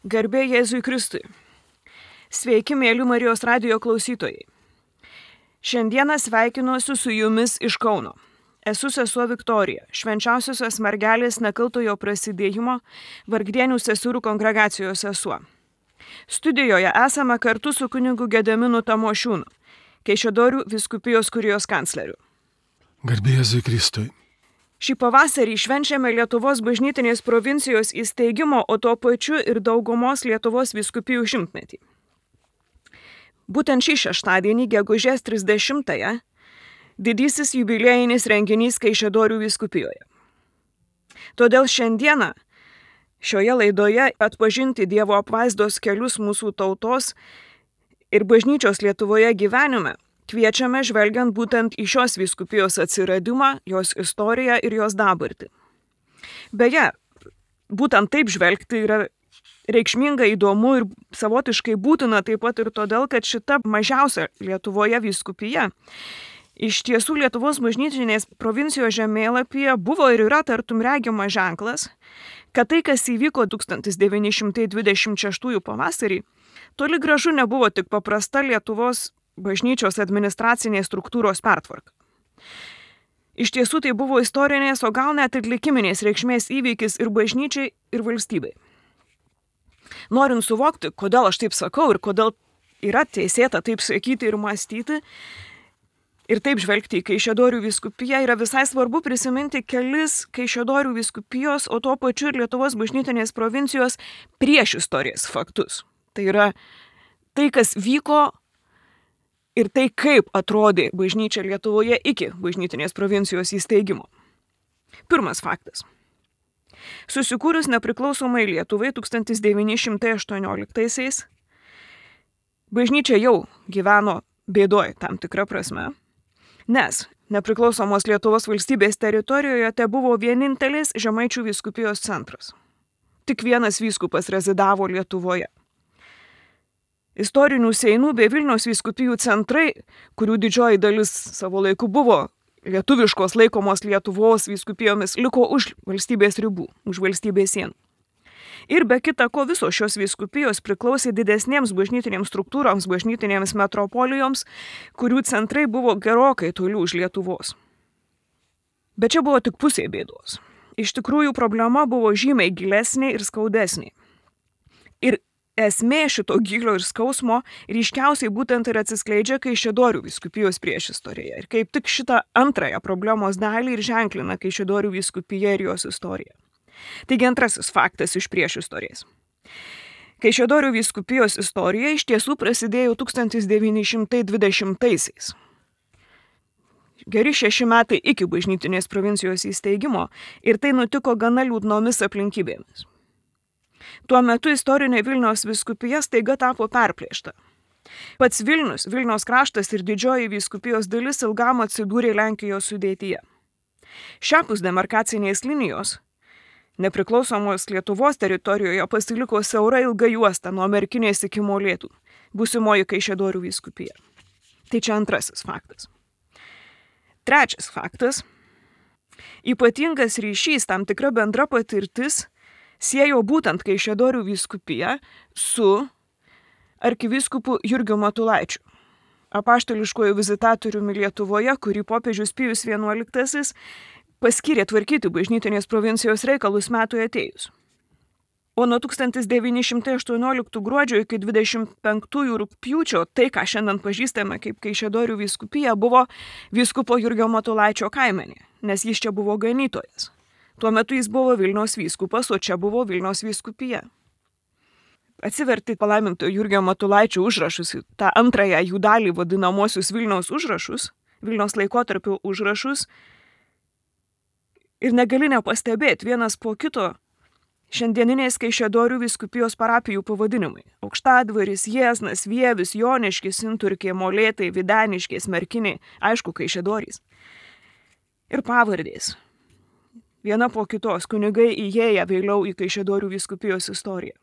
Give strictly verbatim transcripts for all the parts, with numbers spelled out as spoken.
Garbė Jėzui Kristui. Sveiki, mėly Marijos radijo klausytojai. Šiandieną sveikinuosi su jumis iš Kauno. Esu sesuo Viktorija, švenčiausiosios mergelės nekaltojo prasidėjimo Vargdienių seserų kongregacijos sesuo. Studijoje esame kartu su kunigu Gediminu Tamošiūnu, Kaišiadorių vyskupijos kurijos kancleriu. Garbė Jėzui Kristui. Šį pavasarį švenčiame Lietuvos bažnytinės provincijos įsteigimo, o tuo pačiu ir daugumos Lietuvos vyskupijų šimtmetį. Būtent šį šeštadienį, gegužės trisdešimtąją, didysis jubiliejinis renginys Kaišiadorių vyskupijoje. Todėl šiandieną šioje laidoje atpažinti Dievo apvaizdos kelius mūsų tautos ir bažnyčios Lietuvoje gyvenime kviečiame žvelgiant būtent į šios vyskupijos atsiradimą, jos istoriją ir jos dabartį. Beje, būtent taip žvelgti yra reikšminga, įdomu ir savotiškai būtina taip pat ir todėl, kad šita mažiausia Lietuvoje vyskupija iš tiesų Lietuvos bažnytinės provincijos žemėlapyje buvo ir yra tartum regimas ženklas, kad tai, kas įvyko tūkstantis devyni šimtai dvidešimt šeštųjų pavasarį, toli gražu nebuvo tik paprasta Lietuvos bažnyčios administracinės struktūros pertvarka. Iš tiesų tai buvo istorinės, o gal net ir likiminės reikšmės įvykis ir bažnyčiai, ir valstybei. Norint suvokti, kodėl aš taip sakau ir kodėl yra teisėta taip sakyti ir mąstyti, ir taip žvelgti į Kaišiadorių vyskupiją, yra visai svarbu prisiminti kelis Kaišiadorių vyskupijos, o tuo pačiu ir Lietuvos bažnytinės provincijos priešistorės faktus. Tai yra tai, kas vyko ir tai, kaip atrodė bažnyčia Lietuvoje iki bažnytinės provincijos įsteigimo. Pirmas faktas. Susikūrus nepriklausomai Lietuvai tūkstantis devyni šimtai aštuonioliktaisiais, bažnyčia jau gyveno bėdoj tam tikrą prasme, nes nepriklausomos Lietuvos valstybės teritorijoje te buvo vienintelis Žemaičių vyskupijos centras. Tik vienas vyskupas rezidavo Lietuvoje. Istorinių Seinų bei Vilniaus vyskupijų centrai, kurių didžioji dalis savo laiku buvo lietuviškos laikomos Lietuvos vyskupijomis, liko už valstybės ribų, už valstybės sienų. Ir be kita ko visos šios vyskupijos priklausė didesnėms bažnytinėms struktūroms, bažnytinėms metropolijoms, kurių centrai buvo gerokai toli už Lietuvos. Bet čia buvo tik pusė bėdos. Iš tikrųjų problema buvo žymiai gilesnė ir skaudesnė. Ir esmė šito gylio ir skausmo ryškiausiai būtent ir atsiskleidžia Kaišiadorių vyskupijos priešistorėje. Ir kaip tik šitą antrąją problemos dalį ir ženklina Kaišiadorių vyskupija ir jos istorija. Taigi antrasis faktas iš priešistorės. Kaišiadorių vyskupijos istorija iš tiesų prasidėjo tūkstantis devyni šimtai dvidešimtaisiais. Geri šeši metai iki bažnytinės provincijos įsteigimo ir tai nutiko gana liūdnomis aplinkybėmis. Tuo metu istorinė Vilniaus vyskupija staiga tapo perplėšta. Pats Vilnius, Vilniaus kraštas ir didžioji vyskupijos dalis ilgam atsidūrė Lenkijos sudėtyje. Šiapus demarkacinės linijos nepriklausomos Lietuvos teritorijoje pasiliko siaura ilga juosta nuo Merkinės iki Molėtų, būsimoji Kaišiadorių vyskupija. Tai čia antrasis faktas. Trečias faktas. Ypatingas ryšys, tam tikra bendra patirtis siejo būtent Kaišiadorių vyskupiją su arkivyskupu Jurgiu Matulaičiu, apaštališkuoju vizitatoriumi Lietuvoje, kurį popiežius Pijus vienuoliktasis paskyrė tvarkyti bažnytinės provincijos reikalus metui atėjus. O nuo tūkstantis devyni šimtai aštuonioliktų gruodžio iki dvidešimt penktųjų rugpjūčio tai, ką šiandien pažįstame kaip Kaišiadorių vyskupija, buvo vyskupo Jurgio Matulaičio kaimenė, nes jis čia buvo ganytojas. Tuo metu jis buvo Vilniaus vyskupas, o čia buvo Vilniaus vyskupija. Atsiverti palaimintojo Jurgio Matulaičio užrašus, tą antrąją jų dalį vadinamosius Vilniaus užrašus, Vilniaus laikotarpio užrašus, ir negali nepastebėti vienas po kito šiandieninės Kaišiadorių vyskupijos parapijų pavadinimai. Aukštadvaris, Jieznas, Vievis, Joniškis, Inturkė, Molėtai, Videniškės, Merkinė, aišku, Kaišiadorys. Ir pavardės. Viena po kitos kunigai įėję vėliau į Kaišiadorių vyskupijos istoriją.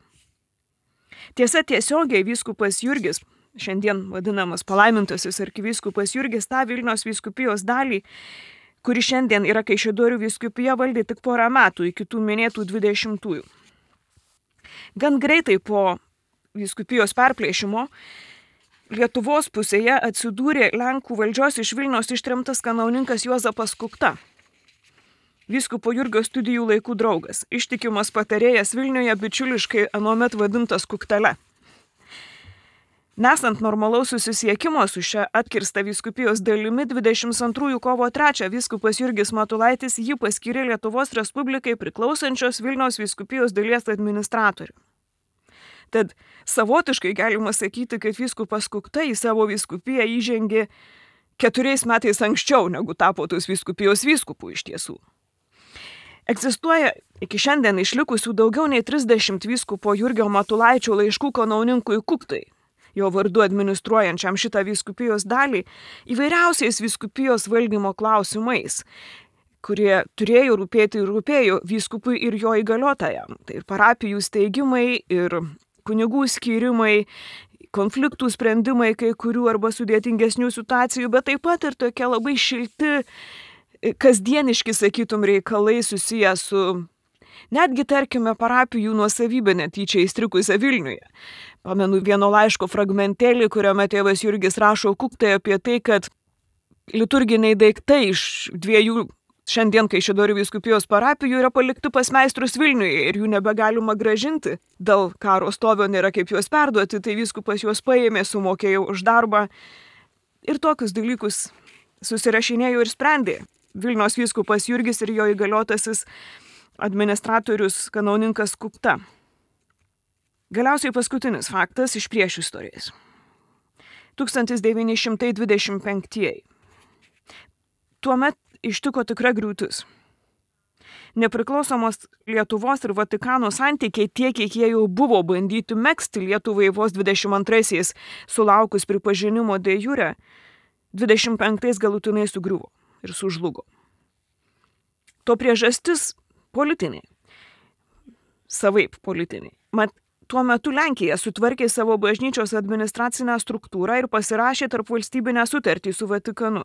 Tiesa, tiesiogiai vyskupas Jurgis, šiandien vadinamas palaimintasis arkivyskupas Jurgis, tą Vilniaus vyskupijos dalį, kuri šiandien yra Kaišiadorių vyskupija, valdė tik porą metų iki tų minėtų dvidešimtųjų. Gan greitai po vyskupijos perplėšimo Lietuvos pusėje atsidūrė Lenkų valdžios iš Vilniaus ištremtas kanauninkas Juozapas Kukta. Vyskupo Jurgio studijų laikų draugas, ištikimas patarėjas Vilniuje, bičiuliškai anuomet vadintas Kuktele. Nesant normalaus susisiekimo su šia atkirsta vyskupijos dalimi, dvidešimt antrųjų kovo trečią vyskupas Jurgis Matulaitis jį paskyrė Lietuvos Respublikai priklausančios Vilniaus vyskupijos dalies administratorių. Tad savotiškai galima sakyti, kad vyskupas Kukta į savo vyskupiją įžengė keturiais metais anksčiau, negu tapo tos vyskupijos vyskupų iš tiesų. Egzistuoja iki šiandien išlikusių daugiau nei trisdešimt vyskupo Jurgio Matulaičio laiškų kanauninkui Kuktai, jo vardu administruojančiam šitą vyskupijos dalį, įvairiausiais vyskupijos valdymo klausimais, kurie turėjo rūpėti ir rūpėjo vyskupui ir jo įgaliotajam. Tai ir parapijų steigimai, ir kunigų skyrimai, konfliktų sprendimai kai kurių arba sudėtingesnių situacijų, bet taip pat ir tokie labai šilti, kasdieniški, sakytum, reikalai susiję su netgi, tarkime, parapijų nuosavybė netyčia įstrikusią Vilniuje. Pamenu vieno laiško fragmentėlį, kuriame tėvas Jurgis rašo Kuktai apie tai, kad liturginiai daiktai iš dviejų šiandien Kaišiadorių vyskupijos parapijų yra palikti pas meistrus Vilniuje ir jų nebegalima grąžinti. Dėl karo stovio nėra kaip juos perduoti, tai vyskupas juos paėmė, sumokėjo už darbą ir tokius dalykus susirašinėjo ir sprendė Vilniaus vyskupas Jurgis ir jo įgaliotasis administratorius kanauninkas Kukta. Galiausiai paskutinis faktas iš priešistorės. tūkstantis devyni šimtai dvidešimt penktieji. Tuomet ištiko tikra griūtis. Nepriklausomos Lietuvos ir Vatikano santykiai tiek, kiek jie jau buvo bandyti megzti Lietuvai vos dvidešimt antraisiais sulaukus pripažinimo de jure, dvidešimt penktais galutinai sugriuvo ir sužlugo. To priežastis politinė. Savaip politinė. Mat, tuo metu Lenkija sutvarkė savo bažnyčios administracinę struktūrą ir pasirašė tarp valstybinę sutartį su Vatikanu,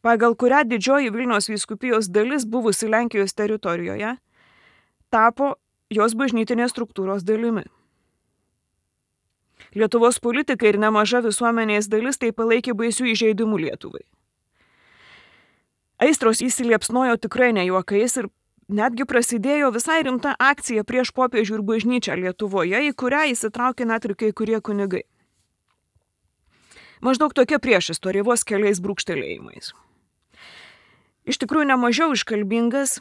pagal kurią didžioji Vilniaus vyskupijos dalis buvusi Lenkijos teritorijoje tapo jos bažnytinės struktūros dalimi. Lietuvos politikai ir nemaža visuomenės dalis tai palaikė baisių įžeidimų Lietuvai. Aistros įsiliepsnojo tikrai ne juokais ir netgi prasidėjo visai rimta akcija prieš popiežių ir bažnyčią Lietuvoje, į kurią įsitraukė net ir kai kurie kunigai. Maždaug tokia priešistorė vos keliais brūkštelėjimais. Iš tikrųjų nemažiau iškalbingas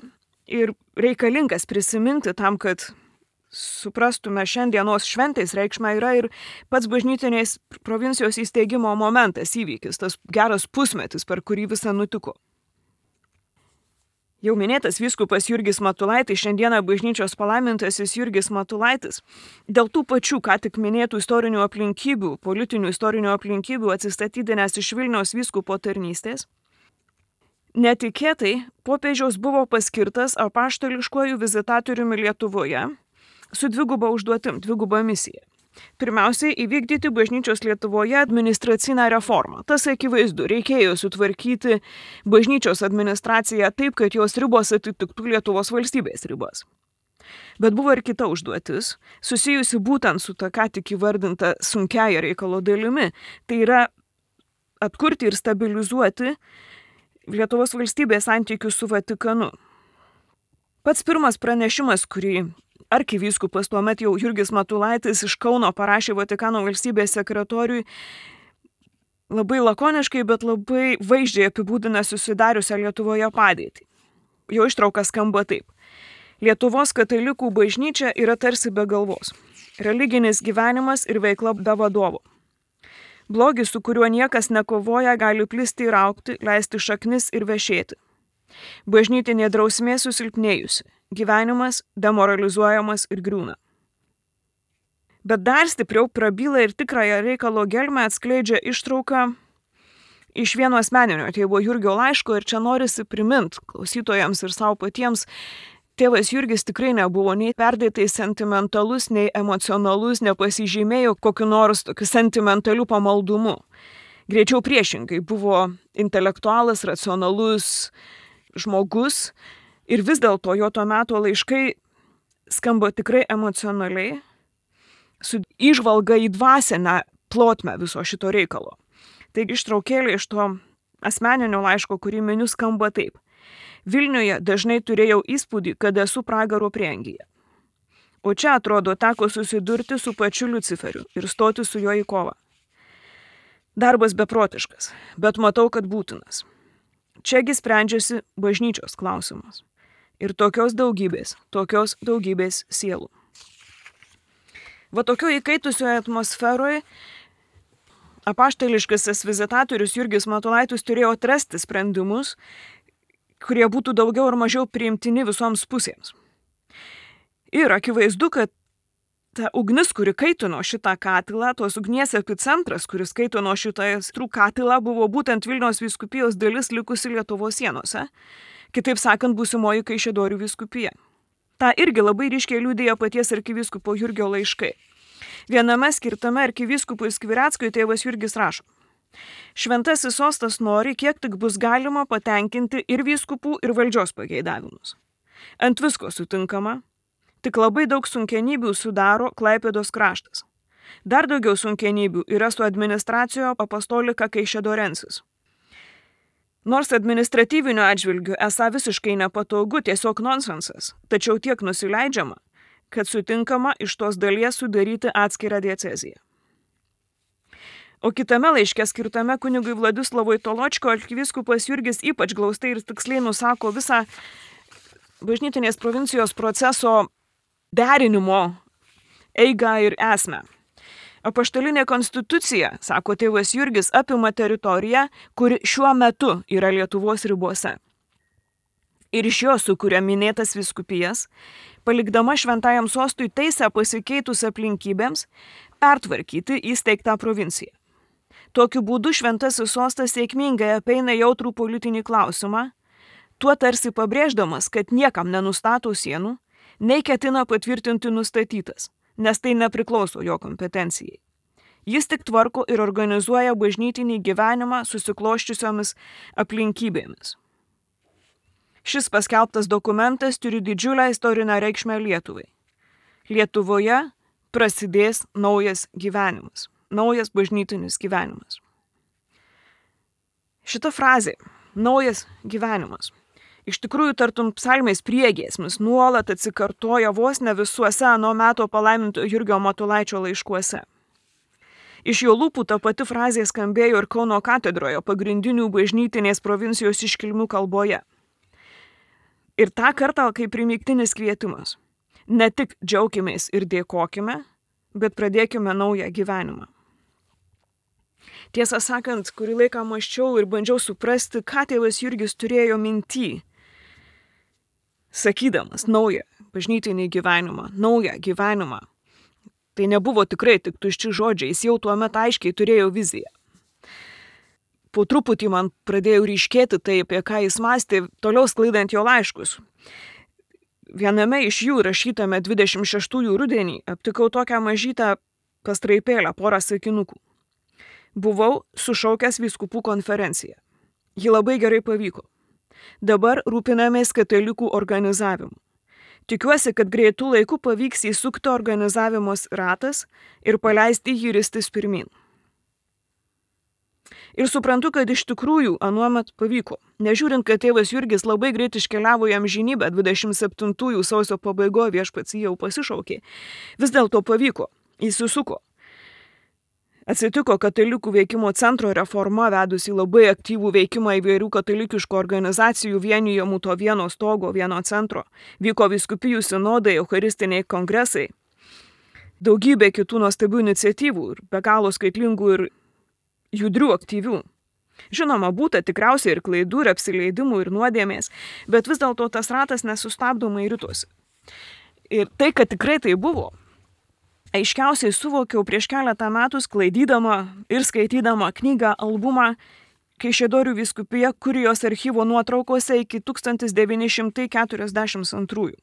ir reikalingas prisiminti tam, kad suprastume šiandienos šventės reikšmę, yra ir pats bažnytinės provincijos įsteigimo momentas, įvykis, tas geras pusmetis, per kurį visa nutiko. Jau minėtas vyskupas Jurgis Matulaitis, šiandieną bažnyčios palaimintasis Jurgis Matulaitis, dėl tų pačių, ką tik minėtų istorinių aplinkybių, politinių istorinių aplinkybių atsistatydinęs iš Vilniaus vyskupo tarnystės, netikėtai popiežiaus buvo paskirtas apaštališkuoju vizitatoriumi Lietuvoje su dviguba užduotim, dviguba misija. Pirmiausiai, įvykdyti bažnyčios Lietuvoje administracinę reformą. Tas akivaizdu, reikėjo sutvarkyti bažnyčios administraciją taip, kad jos ribos atitiktų Lietuvos valstybės ribas. Bet buvo ir kita užduotis, susijusi būtent su ta ką tik įvardinta sunkiaja reikalo dalimi. Tai yra atkurti ir stabilizuoti Lietuvos valstybės santykius su Vatikanu. Pats pirmas pranešimas, kurį arkivyskupas tuomet jau Jurgis Matulaitis iš Kauno parašė Vatikano valstybės sekretoriui, labai lakoniškai, bet labai vaizdžiai apibūdina susidariusią Lietuvoje padėtį. Jo ištrauka skamba taip. Lietuvos katalikų bažnyčia yra tarsi be galvos. Religinis gyvenimas ir veikla be vadovo. Blogis, su kuriuo niekas nekovoja, gali plisti ir augti, leisti šaknis ir vešėti. Bažnytinė drausmė susilpnėjusi. Gyvenimas demoralizuojamas ir griūna. Bet dar stipriau prabyla ir tikrąją reikalo gelmę atskleidžia ištrauka iš vieno asmeninio tėvo Jurgio laiško ir čia norisi primint klausytojams ir savo patiems, tėvas Jurgis tikrai nebuvo nei perdėtai sentimentalus, nei emocionalus, nepasižymėjo kokiu nors tokiu sentimentaliu pamaldumu. Greičiau priešingai, buvo intelektualas, racionalus žmogus. Ir vis dėlto jo to meto laiškai skamba tikrai emocionaliai, su įžvalga į dvasinę plotmę viso šito reikalo. Taigi ištraukėlė iš to asmeninio laiško, kurį miniu, skamba taip. Vilniuje dažnai turėjau įspūdį, kad esu pragaro prieangyje. O čia, atrodo, teko susidurti su pačiu Luciferiu ir stoti su juo į kovą. Darbas beprotiškas, bet matau, kad būtinas. Čiagi sprendžiasi bažnyčios klausimas. Ir tokios daugybės, tokios daugybės sielų. Va tokio įkaitusioje atmosferoje apaštališkasis vizitatorius Jurgis Matulaitis turėjo atrasti sprendimus, kurie būtų daugiau ar mažiau priimtini visoms pusėms. Ir akivaizdu, kad ta ugnis, kuri kaitino šitą katilą, tos ugnies epicentras, kuris kaitino šitą aistrų katilą, buvo būtent Vilniaus vyskupijos dalis likusi Lietuvos sienose, kitaip sakant, būsimoji Kaišiadorių vyskupija. Ta irgi labai ryškiai liudija paties arkivyskupo Jurgio laiškai. Viename skirtame arkivyskupui Skvireckui tėvas Jurgis rašo: Šventasis sostas nori, kiek tik bus galima patenkinti ir vyskupų, ir valdžios pageidavimus. Ant visko sutinkama, tik labai daug sunkenybių sudaro Klaipėdos kraštas. Dar daugiau sunkenybių yra su administracijo apostolika Kaišiadorensis. Nors administratyviniu atžvilgiu esą visiškai nepatogu, tiesiog nonsensas, tačiau tiek nusileidžiama, kad sutinkama iš tos dalies sudaryti atskirą dieceziją. O kitame laiške skirtame kunigui Vladislavui Toločko arkivyskupas Jurgis ypač glaustai ir tiksliai nusako visą bažnytinės provincijos proceso derinimo eigą ir esmę. Apaštalinė konstitucija, sako tėvas Jurgis, apima teritoriją, kuri šiuo metu yra Lietuvos ribose. Ir iš jo sukuria minėtas vyskupijas, palikdama šventajam sostui teisę pasikeitus aplinkybėms pertvarkyti įsteigtą provinciją. Tokiu būdu šventasis sostas sėkmingai apeina jautrų politinį klausimą, tuo tarsi pabrėždamas, kad niekam nenustato sienų, nei ketina patvirtinti nustatytas, nes tai nepriklauso jo kompetencijai. Jis tik tvarko ir organizuoja bažnytinį gyvenimą susikloščiusiomis aplinkybėmis. Šis paskelbtas dokumentas turi didžiulę istorinę reikšmę Lietuvai. Lietuvoje prasidės naujas gyvenimas, naujas bažnytinis gyvenimas. Šita frazė, naujas gyvenimas, iš tikrųjų tartum psalmės priegiesmis nuolat atsikartoja vos ne visuose ano meto palaiminto Jurgio Matulaičio laiškuose. Iš jo lūpų ta pati frazė skambėjo ir Kauno katedroje pagrindinių bažnytinės provincijos iškilmių kalboje. Ir tą kartą kaip primygtinis kvietimas. Ne tik džiaukimės ir dėkokime, bet pradėkime naują gyvenimą. Tiesą sakant, kurį laiką mąsčiau ir bandžiau suprasti, ką tėvas Jurgis turėjo minty, sakydamas naują bažnytinį gyvenimą, naują gyvenimą. Tai nebuvo tikrai tik tušči žodžiai, jis jau tuo metu aiškiai turėjo viziją. Po truputį man pradėjo ryškėti tai, apie ką jis mąstė, toliau sklaidant jo laiškus. Viename iš jų, rašytame dvidešimt šeštųjų rudenį, aptikau tokią mažytą pastraipėlę, porą sakinukų. Buvau sušaukęs vyskupų konferenciją. Ji labai gerai pavyko. Dabar rūpinamės katalikų organizavimu. Tikiuosi, kad greitų laikų pavyks įsukti organizavimos ratas ir paleisti jį ristis pirmin. Ir suprantu, kad iš tikrųjų anuomet pavyko. Nežiūrint, kad tėvas Jurgis labai greit iškeliavo į amžinybę, dvidešimt septintųjų sausio pabaigoje viešpats jį jau pasišaukė. Vis dėlto pavyko, įsisuko. Atsitiko katalikų veikimo centro reforma, vedusi labai aktyvų veikimą įvairių katalikiškų organizacijų vienijamų to vieno stogo, vieno centro. Vyko vyskupijų sinodai, eucharistiniai kongresai. Daugybė kitų nuostabių iniciatyvų ir be galo skaitlingų ir judrių aktyvių. Žinoma, būta tikriausiai ir klaidų, ir apsileidimų, ir nuodėmės, bet vis dėlto tas ratas nesustabdomai ritosi. Ir tai, kad tikrai tai buvo, aiškiausiai suvokiau prieš keletą metų sklaidydama ir skaitydama knygą albumą Kaišiadorių vyskupija kurijos archyvo nuotraukose iki tūkstantis devyni šimtai keturiasdešimt antrųjų.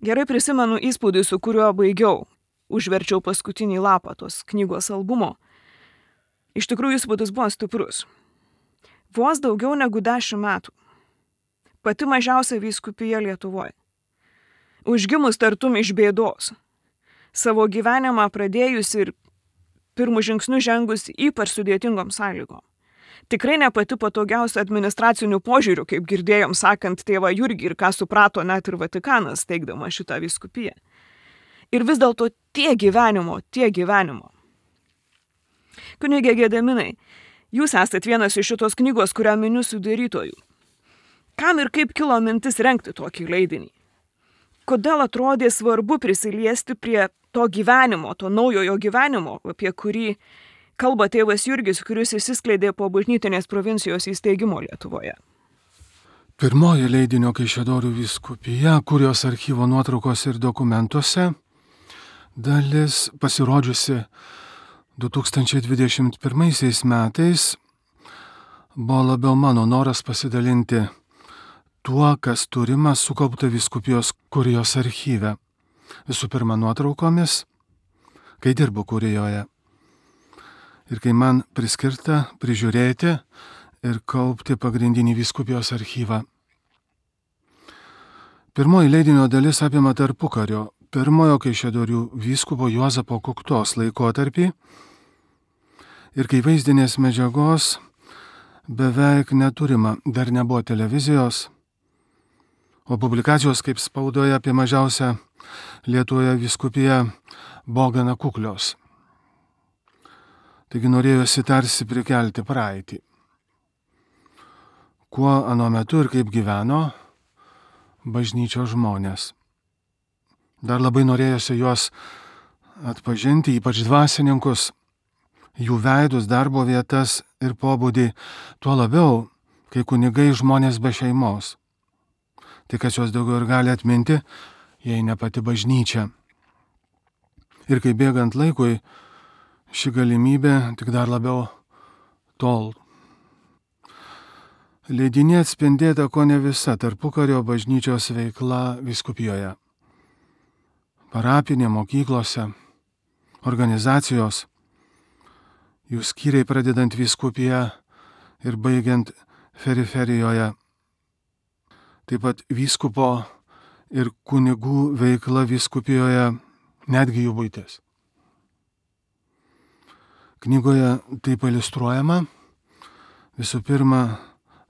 Gerai prisimenu įspūdį, su kuriuo baigiau, užverčiau paskutinį lapą tos knygos albumo. Iš tikrųjų įspūdis buvo stiprus. Vos daugiau negu dešimt metų. Pati mažiausia vyskupija Lietuvoje. užgimus tartum iš bėdos, savo gyvenimą pradėjus ir pirmus žingsnius žengus ypač sudėtingom sąlygom. Tikrai ne pati patogiausia administracinių požiūrių, kaip girdėjom sakant tėvą Jurgį ir ką suprato net ir Vatikanas, teikdama šitą vyskupiją. Ir vis dėlto tie gyvenimo, tie gyvenimo. Kunigė Gedeminai, jūs esat vienas iš šitos knygos, kurią miniu sudarytojų. Kam ir kaip kilo mintis rengti tokį leidinį? Kodėl atrodė svarbu prisiliesti prie to gyvenimo, to naujojo gyvenimo, apie kurį kalba tėvas Jurgis, kuris įsiskleidė po bažnytinės provincijos įsteigimo Lietuvoje? Pirmoji leidinio Kaišiadorių vyskupija, kurios archyvo nuotraukos ir dokumentuose, dalis pasirodžiusi du tūkstančiai dvidešimt pirmaisiais metais, buvo labiau mano noras pasidalinti tuo, kas turima sukaupta vyskupijos kurijos archyve. Visų pirma, nuotraukomis, kai dirbu kurijoje. Ir kai man priskirta prižiūrėti ir kaupti pagrindinį vyskupijos archyvą. Pirmoji leidinio dalis apima tarpukario, pirmojo Kaišiadorių vyskupo Juozapo Kuktos laikotarpį. Ir kai vaizdinės medžiagos beveik neturima, dar nebuvo televizijos, o publikacijos kaip spaudoje apie mažiausią Lietuvoje vyskupiją buvo gana kuklios. Taigi norėjosi tarsi prikelti praeitį. Kuo anuo metu ir kaip gyveno bažnyčios žmonės. Dar labai norėjosi juos atpažinti, ypač dvasininkus, jų veidus, darbo vietas ir pobūdį, tuo labiau, kai kunigai žmonės be šeimos. Tai kas juos daugiau ir gali atminti, jei ne pati bažnyčia. Ir kai bėgant laikui, ši galimybė tik dar labiau tol. Leidinė atspindėta ko ne visa tarpukario bažnyčios veikla vyskupijoje. Parapinė, mokyklose, organizacijos, jų skyriai pradedant vyskupiją ir baigiant periferijoje. Taip pat vyskupo ir kunigų veikla vyskupijoje, netgi jų buitis. Knygoje taip iliustruojama visų pirma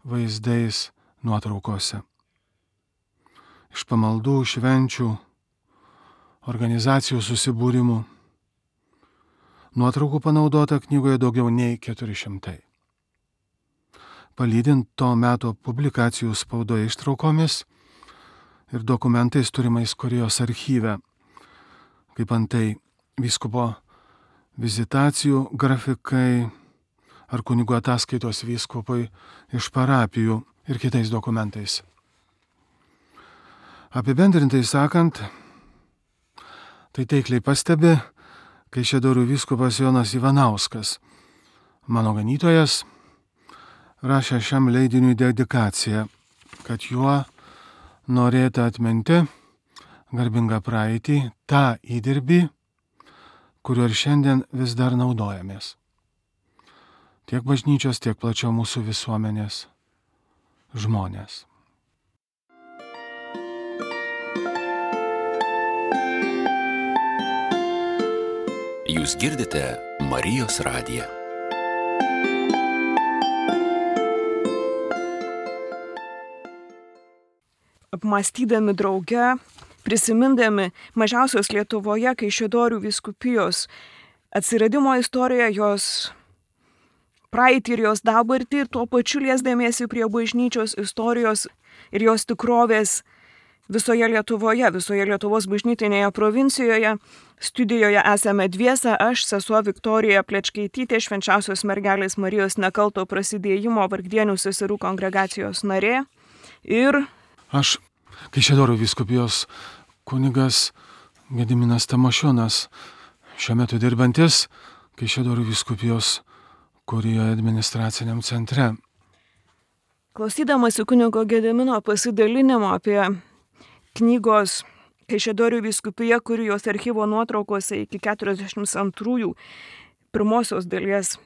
vaizdais nuotraukose. Iš pamaldų, švenčių, organizacijų susibūrimų. Nuotraukų panaudota knygoje daugiau nei keturi šimtai. Palydint to meto publikacijų spaudoje ištraukomis ir dokumentais turimais kurijos archyve, kaip antai vyskupo vizitacijų grafikai ar kunigų ataskaitos vyskupui iš parapijų ir kitais dokumentais. Apibendrintai sakant, tai taikliai pastebi Kaišiadorių vyskupas Jonas Ivanauskas, mano ganytojas, rašė šiam leidiniui dedikaciją, kad juo norėta atminti garbingą praeitį, tą įdirbį, kuriuo ir šiandien vis dar naudojamės. Tiek bažnyčios, tiek plačiau mūsų visuomenės žmonės. Jūs girdite Marijos radiją. Apmąstydami drauge, prisimindami mažiausios Lietuvoje Kaišiadorių vyskupijos atsiradimo istoriją, jos praeitį ir jos dabartį, ir tuo pačiu liesdamiesi prie bažnyčios istorijos ir jos tikrovės visoje Lietuvoje, visoje Lietuvos bažnytinėje provincijoje. Studijoje esame dviese, aš, sesuo Viktorija Plečkaitytė, Švenčiausios mergelės Marijos nekalto prasidėjimo Vargdienių seserų kongregacijos narė, ir Aš, Kaišiadorių vyskupijos kunigas Gediminas Tamošiūnas, šiuo metu dirbantis Kaišiadorių vyskupijos kurijoje administraciniam centre. Klausydamasi kunigo Gedimino pasidalinimo apie knygos Kaišiadorių vyskupija kurijos archyvo nuotraukose iki keturiasdešimt antrųjų pirmosios dalies,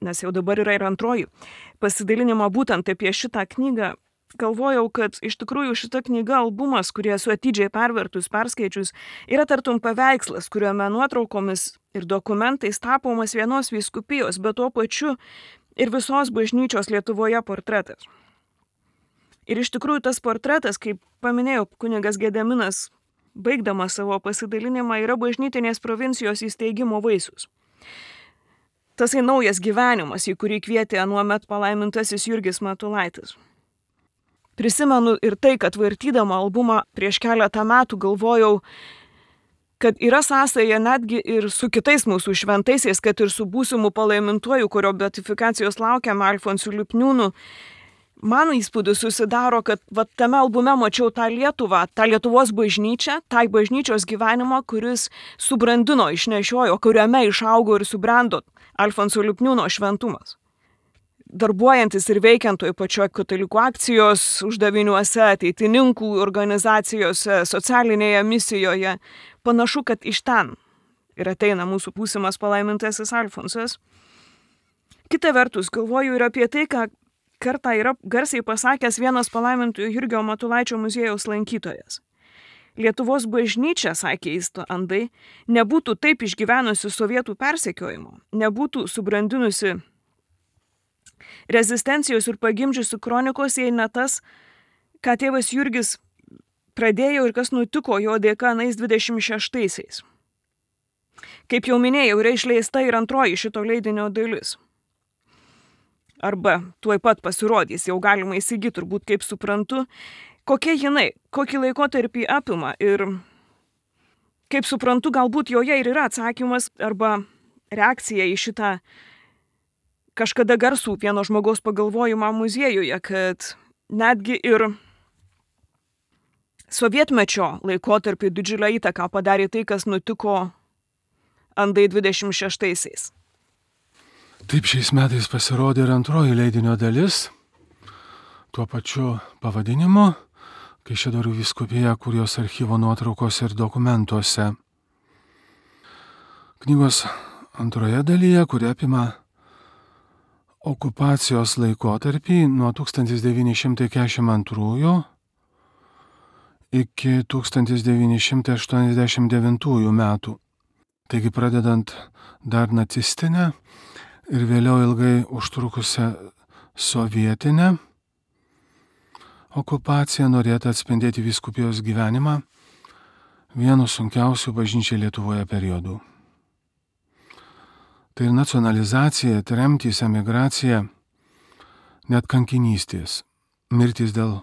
nes jau dabar yra ir antroji, pasidalinimo būtent apie šitą knygą, galvojau, kad iš tikrųjų šita knyga albumas, kurį esu atidžiai pervertus, perskaičius, yra tartum paveikslas, kuriuome nuotraukomis ir dokumentais tapomas vienos vyskupijos, bet tuo pačiu ir visos bažnyčios Lietuvoje portretas. Ir iš tikrųjų tas portretas, kaip paminėjau, kunigas Gediminas, baigdamas savo pasidalinimą, yra bažnytinės provincijos įsteigimo vaisius. Tasai naujas gyvenimas, į kurį kvietė anuomet palaimintasis Jurgis Matulaitis. Prisimenu ir tai, kad vartydama albumą prieš keletą metų galvojau, kad yra sąsaja netgi ir su kitais mūsų šventaisiais, kad ir su būsimu palaimintuoju, kurio beatifikacijos laukiame, Alfonsu Lipniūnu. Man įspūdis susidaro, kad va, tame albume mačiau tą Lietuvą, tą Lietuvos bažnyčią, tą bažnyčios gyvenimą, kuris subrandino, išnešiojo, kuriame išaugo ir subrendo Alfonso Lipniūno šventumas. Darbuojantis ir veikiant toj pačioj katalikų akcijos uždaviniuose, ateitininkų organizacijose, socialinėje misijoje, panašu, kad iš ten ir ateina mūsų būsimas palaimintasis Alfonsas. Kita vertus, galvoju ir apie tai, ką kartą yra garsiai pasakęs vienas palaimintojo Jurgio Matulaičio muziejaus lankytojas. Lietuvos bažnyčia, sakė jis andai, nebūtų taip išgyvenusi sovietų persekiojimo, nebūtų subrandinusi rezistencijos ir pagimdžiusių kronikos, jei ne tas, ką tėvas Jurgis pradėjo ir kas nutiko jo dėka anais dvidešimt šeštaisiais. Kaip jau minėjau, yra išleista ir antroji šito leidinio dalis. Arba tuoj pat pasirodys, jau galima įsigyti, turbūt kaip suprantu, kokia jinai, kokį laikotarpį apima ir kaip suprantu, galbūt joje ir yra atsakymas arba reakcija į šitą kažkada garsų vieno žmogaus pagalvojimą muziejuje, kad netgi ir sovietmečio laikotarpį didžiulę įtaką padarė tai, kas nutiko andai dvidešimt šeštaisiais. Taip, šiais metais pasirodė ir antroji leidinio dalis, tuo pačiu pavadinimu, Kaišiadorių vyskupija, Kurijos archyvo nuotraukose ir dokumentuose. Knygos antroje dalyje, kuri apima okupacijos laikotarpį nuo tūkstantis devyni šimtai keturiasdešimt antrųjų iki tūkstantis devyni šimtai aštuoniasdešimt devintųjų metų. Taigi pradedant dar nacistinę ir vėliau ilgai užtrukusią sovietinę okupaciją norėta atspindėti vyskupijos gyvenimą vienu sunkiausių bažnyčiai Lietuvoje periodų. Tai ir nacionalizacija, tremtys, emigracija, net kankinystės, mirtys dėl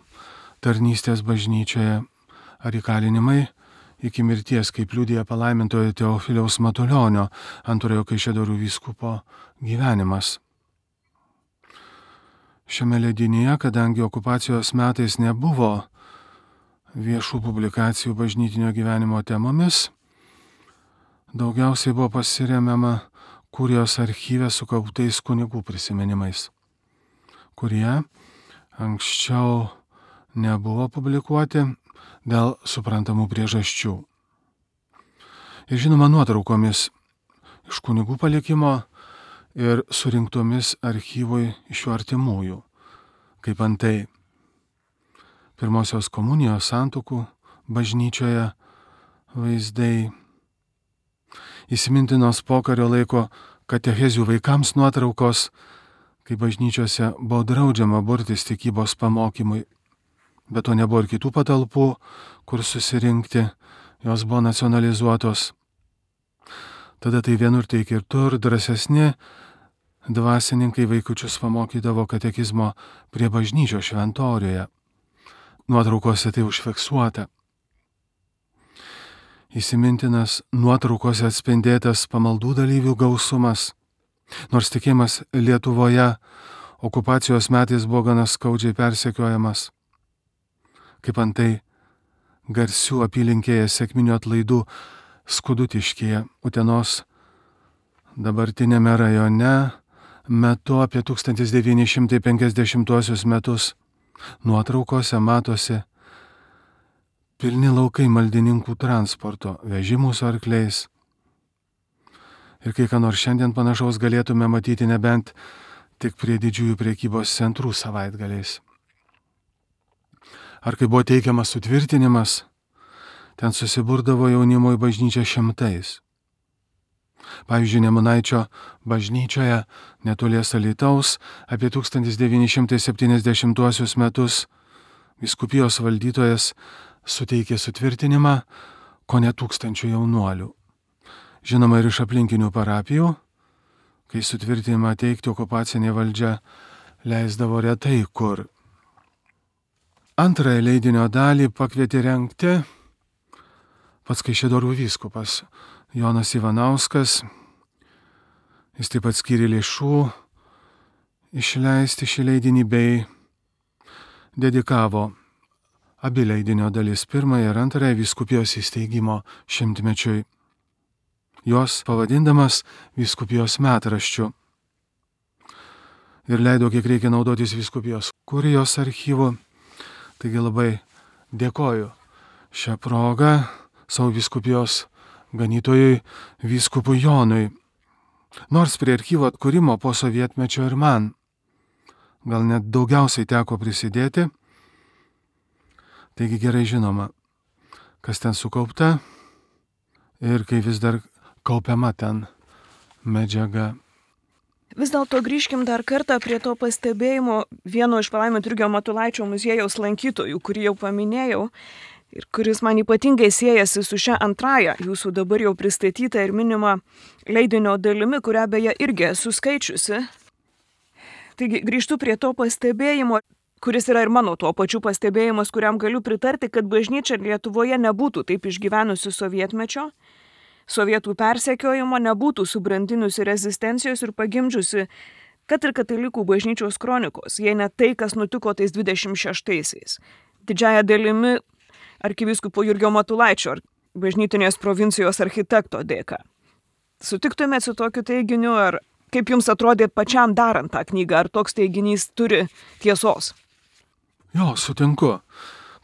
tarnystės bažnyčioje ar įkalinimai iki mirties, kaip liudija palaimintojo Teofiliaus Matulionio, antrojo Kaišiadorių vyskupo gyvenimas. Šiame leidinyje, kadangi okupacijos metais nebuvo viešų publikacijų bažnytinio gyvenimo temomis, daugiausiai buvo pasiremiama Kurijos archyve sukauptais kunigų prisiminimais, kurie anksčiau nebuvo publikuoti dėl suprantamų priežasčių. Ir žinoma nuotraukomis iš kunigų palikimo ir surinktomis archyvui iš jų artimųjų, kaip antai pirmosios komunijos santuokų bažnyčioje vaizdai, įsimintinos pokario laiko katechezių vaikams nuotraukos, kai bažnyčiose buvo draudžiama burtis tikybos pamokymui, bet to nebuvo ir kitų patalpų, kur susirinkti, jos buvo nacionalizuotos. Tada tai vienur, tai kitur drąsesni dvasininkai vaikučius pamokydavo katekizmo prie bažnyčios šventoriuje. Nuotraukose tai užfiksuota. Įsimintinas nuotraukose atspindėtas pamaldų dalyvių gausumas, nors tikėjimas Lietuvoje okupacijos metais buvo gana skaudžiai persekiojamas. Kaip antai garsių apylinkėje sekminių atlaidų Skudutiškyje, Utenos dabartinėme rajone, metu apie tūkstantis devyni šimtai penkiasdešimtuosius metus. Nuotraukose matosi pilni laukai maldininkų transporto, vežimų su arkliais. Ir kai ką nors šiandien panašaus galėtume matyti nebent tik prie didžiųjų prekybos centrų savaitgaliais. ar kai buvo teikiamas sutvirtinimas, ten susiburdavo jaunimo į bažnyčią šimtais. Pavyzdžiui, Nemunaičio bažnyčioje netolies Alytaus apie tūkstantis devyni šimtai septyniasdešimtuosius metus vyskupijos valdytojas suteikė sutvirtinimą kone tūkstančių jaunuolių. Žinoma, ir iš aplinkinių parapijų, kai sutvirtinimą teikti okupacinė valdžia leisdavo retai kur. Antrąją leidinio dalį pakvietė rengti pats Kaišiadorių vyskupas Jonas Ivanauskas. Jis taip pat skyrė lėšų išleisti šį leidinį bei dedikavo abi leidinio dalis, pirmąją ir antrąją vyskupijos įsteigimo šimtmečiui, jos pavadindamas vyskupijos metraščiu. Ir leido, kiek reikia naudotis vyskupijos kurijos archyvu. Taigi labai dėkoju šią progą savo vyskupijos ganytojui vyskupui Jonui. Nors prie archyvo atkūrimo po sovietmečio ir man gal net daugiausiai teko prisidėti, taigi gerai žinoma, kas ten sukaupta ir kai vis dar kaupiama ten medžiaga. Vis dėlto grįžkim dar kartą prie to pastebėjimo vieno iš palaiminto Jurgio Matulaičio muziejaus lankytojų, kurį jau paminėjau ir kuris man ypatingai siejasi su šia antraja jūsų dabar jau pristatyta ir minima leidinio dalimi, kurią beje irgi esu skaičiusi. Taigi grįžtu prie to pastebėjimo, kuris yra ir mano tuo pačiu pastebėjimas, kuriam galiu pritarti, kad bažnyčia Lietuvoje nebūtų taip išgyvenusi sovietmečio, sovietų persekiojimo, nebūtų subrandinusi rezistencijos ir pagimdžiusi, kad ir katalikų bažnyčios kronikos, jei ne tai, kas nutiko tais dvidešimt šeštaisiais. Didžiaja dalimi arkivyskupo Jurgio Matulaičio, bažnytinės provincijos architekto dėka. Sutiktumėt su tokiu teiginiu, ar kaip jums atrodė pačiam darant tą knygą, ar toks teiginys turi tiesos? Jo, sutinku,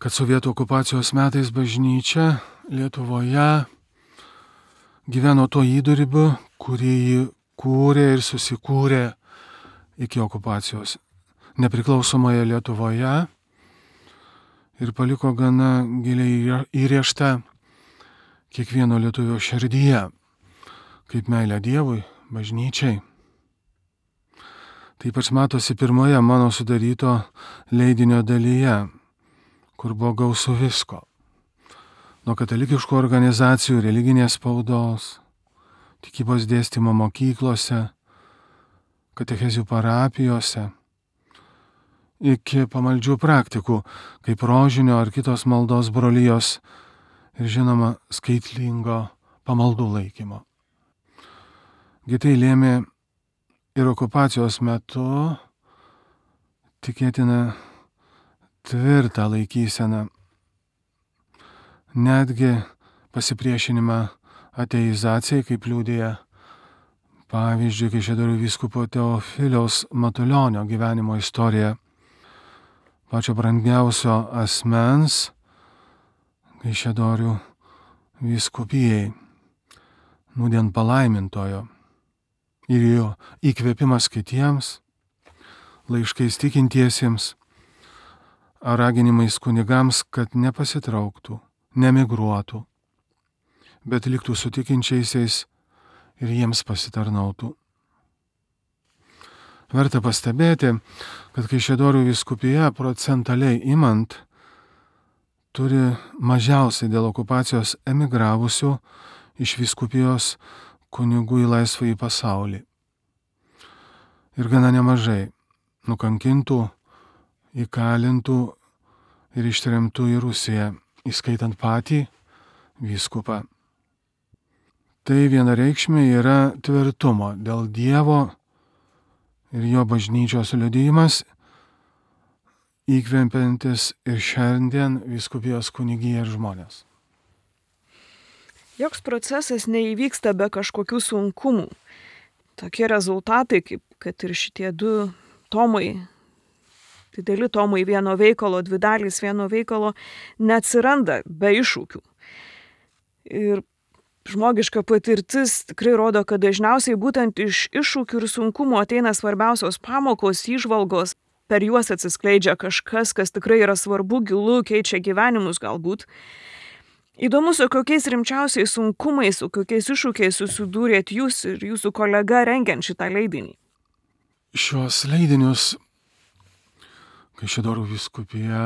kad sovietų okupacijos metais bažnyčia Lietuvoje gyveno to įdurbiu, kurį jį kūrė ir susikūrė iki okupacijos nepriklausomoje Lietuvoje ir paliko gana giliai įrėžtą kiekvieno lietuvio širdyje, kaip meilė Dievui, bažnyčiai. Tai ypač matosi pirmoje mano sudaryto leidinio dalyje, kur buvo gausu visko. Nuo katalikiškų organizacijų, religinės spaudos, tikybos dėstymo mokyklose, katechezių parapijose, iki pamaldžių praktikų, kaip rožinio ar kitos maldos brolijos ir žinoma skaitlingo pamaldų laikymo. Gitai lėmė ir okupacijos metu tikėtina tvirtą laikyseną, netgi pasipriešinimą ateizacijai, kaip liudija pavyzdžiui Kaišiadorių vyskupo Teofiliaus Matulionio gyvenimo istorija, pačio brangiausio asmens Kaišiadorių vyskupijai, nūdien palaimintojo, ir jo įkvėpimas kitiems, laiškais tikintiesiems, ar raginimais kunigams, kad nepasitrauktų, nemigruotų, bet liktų su tikinčiaisiais ir jiems pasitarnautų. Verta pastebėti, kad Kaišiadorių vyskupija procentaliai imant turi mažiausiai dėl okupacijos emigravusių iš vyskupijos kunigų į laisvąjį pasaulį. Ir gana nemažai nukankintų, įkalintų ir ištremtų į Rusiją, įskaitant patį vyskupą. Tai vienareikšmiai yra tvirtumo dėl Dievo ir jo bažnyčios liudijimas, įkvepiantis ir šiandien vyskupijos kunigiją ir žmonės. Joks procesas neįvyksta be kažkokių sunkumų. Tokie rezultatai, kaip kad ir šitie du tomai, dideli tomai vieno veikalo, dvi dalys vieno veikalo, neatsiranda be iššūkių. Ir žmogiška patirtis tikrai rodo, kad dažniausiai būtent iš iššūkių ir sunkumų ateina svarbiausios pamokos, įžvalgos, per juos atsiskleidžia kažkas, kas tikrai yra svarbu, gilu, keičia gyvenimus galbūt. Įdomu, su kokiais rimčiausiais sunkumais, su kokiais iššūkiais susidūrėt jūs ir jūsų kolega rengiant šitą leidinį. Šios leidinius Kaišiadorių vyskupija,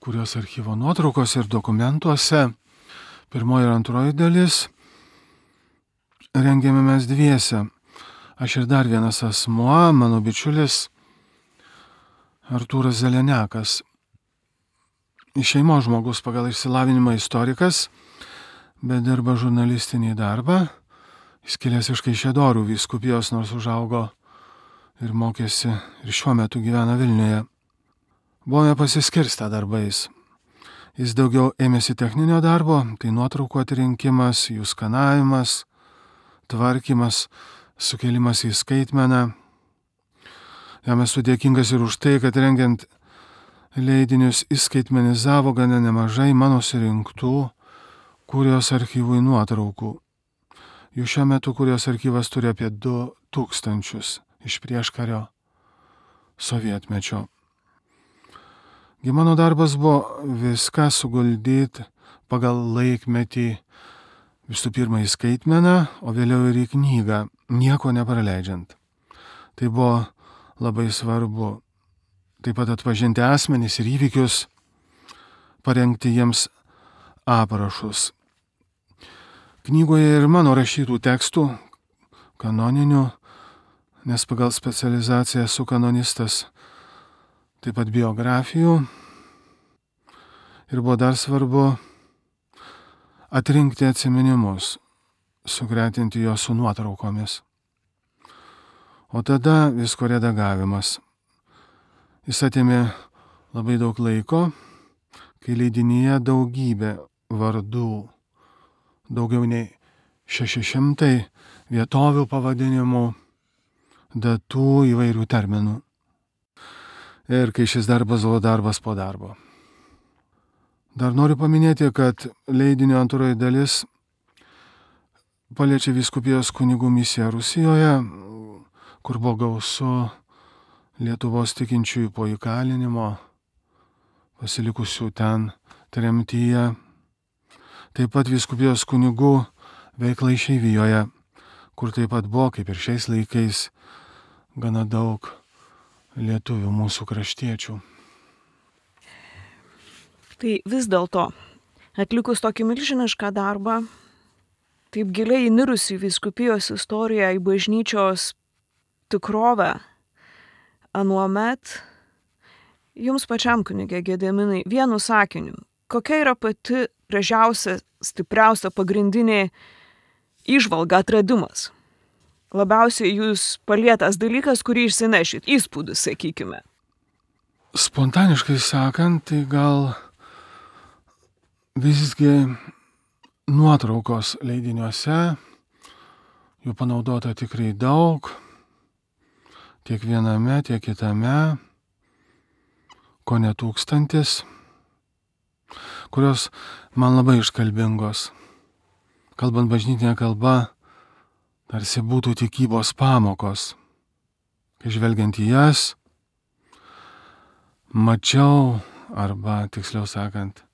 kurios archyvo nuotraukose ir dokumentuose, pirmoji ir antroji dalis, rengėme mes dviese. Aš ir dar vienas asmuo, mano bičiulis Artūras Zeleniakas. Iš šeimos žmogus pagal išsilavinimą istorikas, bet dirba žurnalistinį darbą. Jis kilęs iš Kaišiadorių vyskupijos, nors užaugo ir mokėsi ir šiuo metu gyvena Vilniuje. Buvome pasiskirstę darbais. Jis daugiau ėmėsi techninio darbo, tai nuotraukų atrinkimas, jų skanavimas, tvarkymas, sukėlimas į skaitmeną. Jam esu dėkingas ir už tai, kad rengiant leidinius įskaitmenizavo gana nemažai mano surinktų Kurijos archyvui nuotraukų. Jų šiuo metu Kurijos archyvas turi apie du tūkstančius iš prieškario sovietmečio. Gi mano darbas buvo viską suguldyti pagal laikmetį, visų pirma į skaitmeną, o vėliau ir į knygą, nieko nepraleidžiant. Tai buvo labai svarbu. Taip pat atpažinti asmenys ir įvykius, parengti jiems aprašus. Knygoje ir mano rašytų tekstų, kanoninių, nes pagal specializaciją esu kanonistas, taip pat biografijų. Ir buvo dar svarbu atrinkti atsiminimus, sugretinti juos su nuotraukomis. O tada visko redagavimas. Jis atėmė labai daug laiko, kai leidinyje daugybė vardų, daugiau nei šeši šimtai vietovių pavadinimų, datų, įvairių terminų. Ir kai šis darbas buvo darbas po darbo. Dar noriu paminėti, kad leidinio antroji dalis paliečia vyskupijos kunigų misiją Rusijoje, kur buvo gausu Lietuvos tikinčiųjų po įkalinimo, pasilikusių ten tremtyje. Taip pat vyskupijos kunigų veikla išeivijoje, kur taip pat buvo, kaip ir šiais laikais, gana daug lietuvių mūsų kraštiečių. Tai vis dėlto, atlikus tokį milžinišką darbą, taip giliai įnirusi vyskupijos istoriją, į bažnyčios tikrovę, anuomet, jums pačiam, kunige Gediminai, vienu sakiniu, kokia yra pati gražiausia, stipriausia, pagrindinė įžvalga, atradimas? Labiausiai jūs palietęs dalykas, kurį išsinešit, įspūdis, sakykime. Spontaniškai sakant, tai gal visgi nuotraukos leidiniuose, jų panaudota tikrai daug, tiek viename, tiek kitame, ko ne tūkstantis, kurios man labai iškalbingos. Kalbant bažnytinė kalba, tarsi būtų tikybos pamokos. Kai žvelgiant į jas, mačiau, arba tiksliau sakant,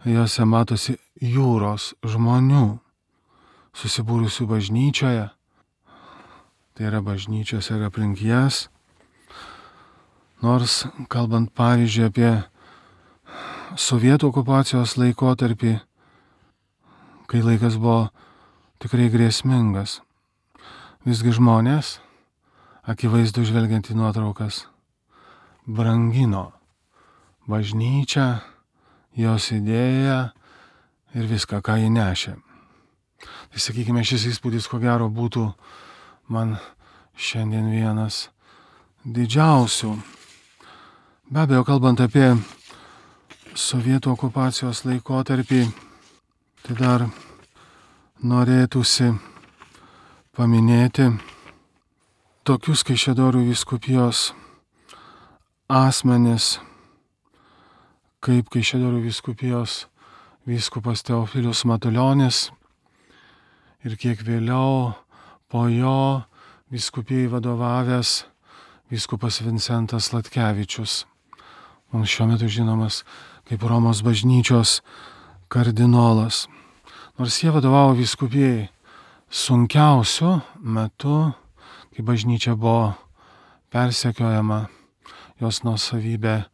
jose matosi jūros žmonių, susibūrusių bažnyčioje, tai yra bažnyčios ir aplink jas. Nors, kalbant pavyzdžiui apie sovietų okupacijos laikotarpį, kai laikas buvo tikrai grėsmingas, visgi žmonės, akivaizdu žvelgiant į nuotraukas, brangino bažnyčią, jos idėją ir viską, ką jį nešė. Tai sakykime, šis įspūdis, ko gero, būtų man šiandien vienas didžiausių. Be abejo, kalbant apie sovietų okupacijos laikotarpį, tai dar norėtųsi paminėti tokius Kaišiadorių vyskupijos asmenis, kaip Kaišiadorių vyskupijos vyskupas Teofilius Matulionis ir kiek vėliau po jo vyskupijai vadovavęs vyskupas Vincentas Sladkevičius, mums šiuo metu žinomas kaip Romos bažnyčios kardinolas. Nors jie vadovavo vyskupijai sunkiausiu metu, kai bažnyčia buvo persekiojama, jos nuosavybė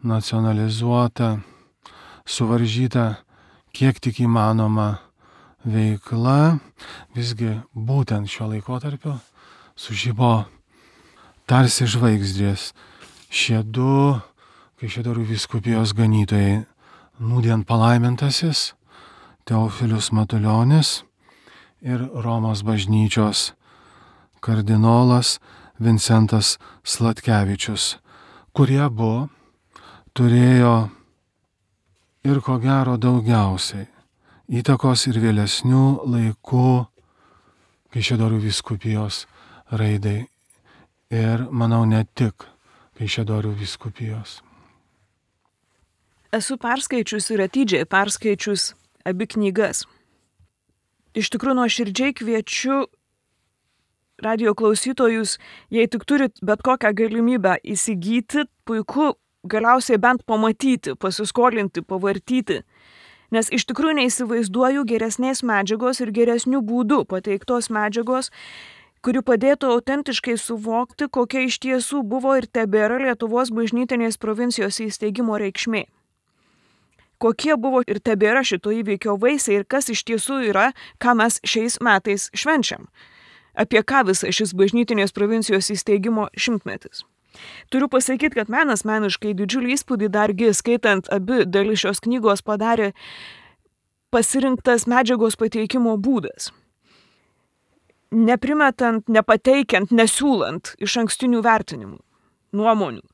nacionalizuota, suvaržyta kiek tik įmanoma veikla, visgi būtent šio laikotarpio sužibo tarsi žvaigždės šie du Kaišiadorių vyskupijos ganytojai, nūdien palaimintasis Teofilius Matulionis ir Romos bažnyčios kardinolas Vincentas Sladkevičius, kurie abu turėjo ir ko gero daugiausiai įtakos ir vėlesnių laikų Kaišiadorių vyskupijos raidai ir, manau, ne tik Kaišiadorių vyskupijos. Esu perskaičius ir atidžiai perskaičius abi knygas. Iš tikrųjų, nuoširdžiai kviečiu radijo klausytojus, jei tik turit bet kokią galimybę įsigyti, puiku galiausiai bent pamatyti, pasiskolinti, pavartyti. Nes iš tikrųjų neįsivaizduoju geresnės medžiagos ir geresnių būdų pateiktos medžiagos, kuri padėtų autentiškai suvokti, kokia iš tiesų buvo ir tebėra Lietuvos bažnytinės provincijos įsteigimo reikšmė. Kokie buvo ir tebėra šito įvykio vaisiai ir kas iš tiesų yra, ką mes šiais metais švenčiam. Apie ką visas šis bažnytinės provincijos įsteigimo šimtmetis. Turiu pasakyti, kad man asmeniškai didžiulį įspūdį dargi skaitant abi dalis šios knygos padarė pasirinktas medžiagos pateikimo būdas. Neprimetant, nepateikiant, nesiūlant iš ankstinių vertinimų, nuomonių.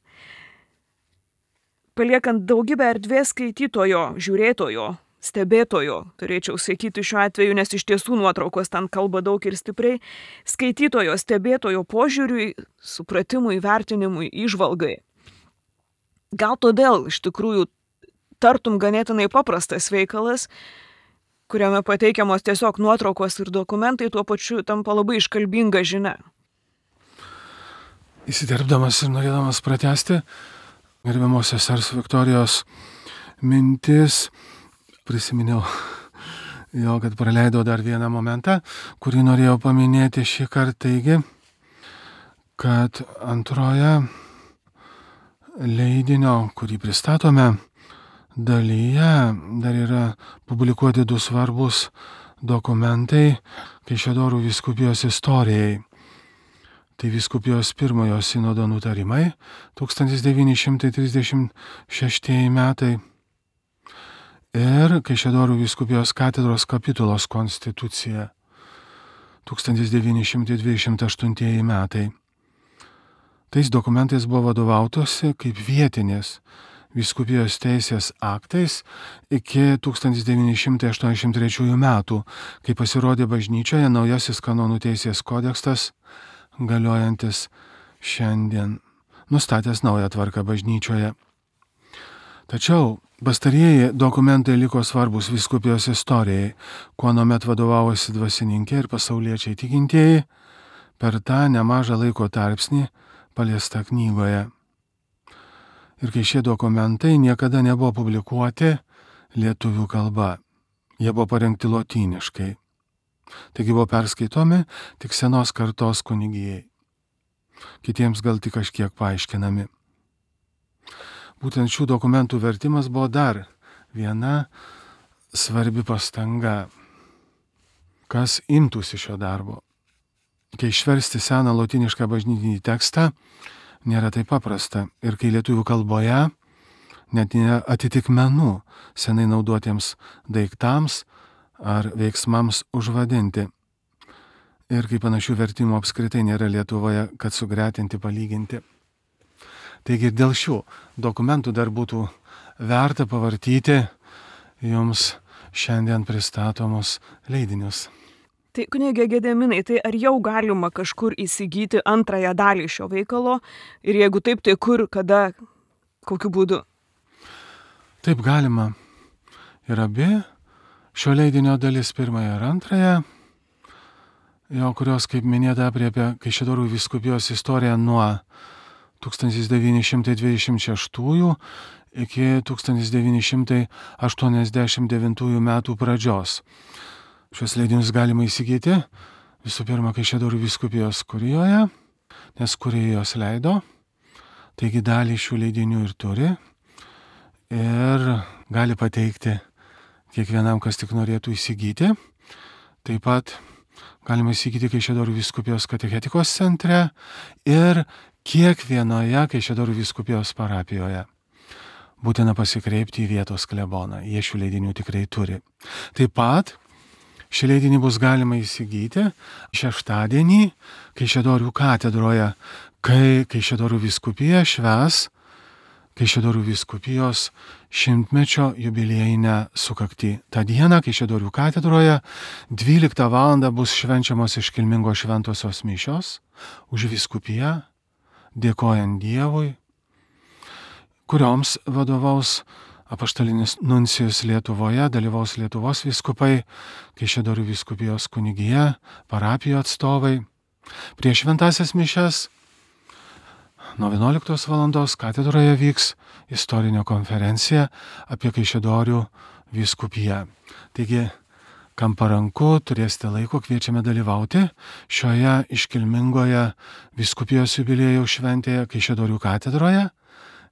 Paliekant daugybę erdvės skaitytojo, žiūrėtojo, stebėtojo, turėčiau sakyti šiuo atveju, nes iš tiesų nuotraukos ten kalba daug ir stipriai, skaitytojo, stebėtojo požiūriui, supratimui, vertinimui, įžvalgai. Gal todėl iš tikrųjų tartum ganėtinai paprastas veikalas, kuriame pateikiamos tiesiog nuotraukos ir dokumentai, tuo pačiu tampa labai iškalbinga žinia. Įsiterpdamas ir norėdamas pratęsti gerbiamos sesers Viktorijos mintis, prisiminiau jo, kad praleidau dar vieną momentą, kurį norėjau paminėti šį kartą, taigi, kad antroje leidinio, kurį pristatome, dalyje dar yra publikuoti du svarbus dokumentai Kaišiadorių vyskupijos istorijai. Tai vyskupijos pirmojo sinodo nutarimai tūkstantis devyni šimtai trisdešimt šeštieji metai ir Kaišiadorių vyskupijos katedros kapitulos konstitucija tūkstantis devyni šimtai dvidešimt aštuntieji metai. Tais dokumentais buvo vadovautosi kaip vietinės vyskupijos teisės aktais iki tūkstantis devyni šimtai aštuoniasdešimt trečiųjų metų, kai pasirodė bažnyčioje naujasis kanonų teisės kodeksas, galiojantis šiandien, nustatęs naują tvarką bažnyčioje. Tačiau pastarieji dokumentai liko svarbus vyskupijos istorijai, kuo nuomet vadovavosi dvasininkė ir pasauliečiai tikintieji per tą nemažą laiko tarpsnį paliestą knygoje. Ir kai šie dokumentai niekada nebuvo publikuoti lietuvių kalba, jie buvo parengti lotyniškai. Taigi buvo perskaitomi tik senos kartos kunigijai. Kitiems gal tik kažkiek paaiškinami. Būtent šių dokumentų vertimas buvo dar viena svarbi pastanga, kas imtųsi šio darbo. Kai išversti seną lotynišką bažnytinį tekstą nėra taip paprasta ir kai lietuvių kalboje net nėra atitikmenų senai naudotiems daiktams ar veiksmams užvadinti. Ir kai panašių vertimų apskritai nėra Lietuvoje, kad sugretinti, palyginti. Taigi dėl šių dokumentų dar būtų verta pavartyti jums šiandien pristatomus leidinius. Tai kunigė Gedeminai, tai ar jau galima kažkur įsigyti antrąją dalį šio veikalo? Ir jeigu taip, tai kur, kada, kokiu būdu? Taip galima. Ir abi šio leidinio dalis pirmąją ir antrąją, jo, kurios, kaip minėta, apriepia Kaišiadorių vyskupijos istoriją nuo tūkstantis devyni šimtai dvidešimt šeštųjų iki tūkstantis devyni šimtai aštuoniasdešimt devintųjų metų pradžios. Šios leidinius galima įsigyti visų pirma Kaišiadorių vyskupijos kurijoje, nes kurijos leido, taigi dalį šių leidinių ir turi ir gali pateikti kiekvienam, kas tik norėtų įsigyti. Taip pat galima įsigyti Kaišiadorių vyskupijos katechetikos centre ir kiekvienoje Kaišiadorių vyskupijos parapijoje. Būtina pasikreipti į vietos kleboną, jie šių leidinių tikrai turi. Taip pat šį leidinį bus galima įsigyti šeštadienį Kaišiadorių katedroje, kai Kaišiadorių vyskupija švęs Kaišiadorių vyskupijos šimtmečio jubiliejinę sukaktį. Ta diena Kaišiadorių katedroje dvyliktą valandą bus švenčiamos iškilmingos šventosios mišios už vyskupiją, dėkojant Dievui, kurioms vadovaus apaštalinis nuncijus Lietuvoje, dalyvaus Lietuvos vyskupai, Kaišiadorių vyskupijos kunigija, parapijų atstovai. Prieš šventąsias mišias nuo vienuoliktos valandos katedroje vyks istorinė konferencija apie Kaišiadorių vyskupiją. Taigi, kam paranku, turėsite laiko, kviečiame dalyvauti šioje iškilmingoje vyskupijos jubiliejaus šventėje Kaišiadorių katedroje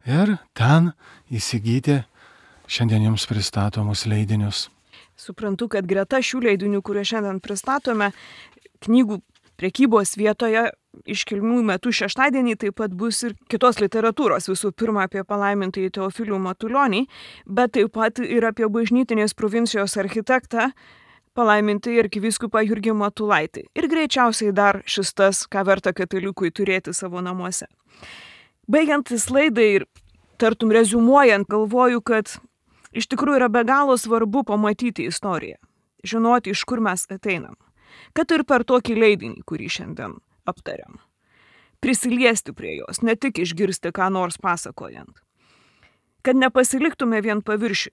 ir ten įsigyti šiandien jums pristatomus leidinius. Suprantu, kad greta šių leidinių, kuriuos šiandien pristatome, knygų prekybos vietoje iškilmių metų šeštadienį taip pat bus ir kitos literatūros, visų pirma apie palaimintąjį Teofilių Matulionį, bet taip pat ir apie bažnytinės provincijos architektą, palaimintąjį arkivyskupą Jurgį Matulaitį. Ir greičiausiai dar šis tas, ką verta katalikui turėti savo namuose. Baigiantis laidai ir tartum reziumuojant, galvoju, kad iš tikrųjų yra be galo svarbu pamatyti istoriją, žinoti, iš kur mes ateinam. Kad ir per tokį leidinį, kurį šiandien aptariam. Prisiliesti prie jos, ne tik išgirsti ką nors pasakojant. Kad nepasiliktume vien paviršių.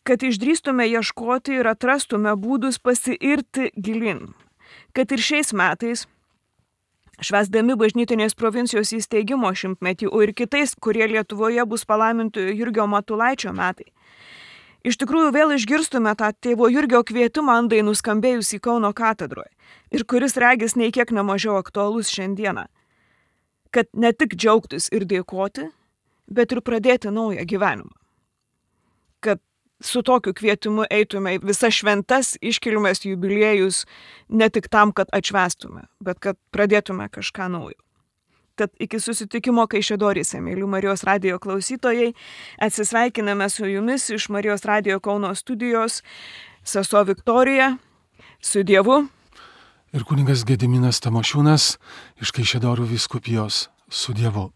Kad išdrįstume ieškoti ir atrastume būdus pasiirti gilin. Kad ir šiais metais, švęsdami bažnytinės provincijos įsteigimo šimtmetį, o ir kitais, kurie Lietuvoje bus palaimintojo Jurgio Matulaičio metai, iš tikrųjų vėl išgirstume tą tėvo Jurgio kvietimą andai nuskambėjusį Kauno katedroje ir kuris regis nei kiek nemažiau aktualus šiandieną. Kad ne tik džiaugtis ir dėkoti, bet ir pradėti naują gyvenimą. Kad su tokiu kvietimu eitume į visas šventas iškilmes jubiliejus ne tik tam, kad atšvęstume, bet kad pradėtume kažką naujo. Tad iki susitikimo Kaišiadoryse, mėly Marijos radijo klausytojai, atsisveikiname su jumis iš Marijos radijo Kauno studijos, sesuo Viktorija, su Dievu. Ir kunigas Gediminas Tamošiūnas iš Kaišiadorių vyskupijos, su Dievu.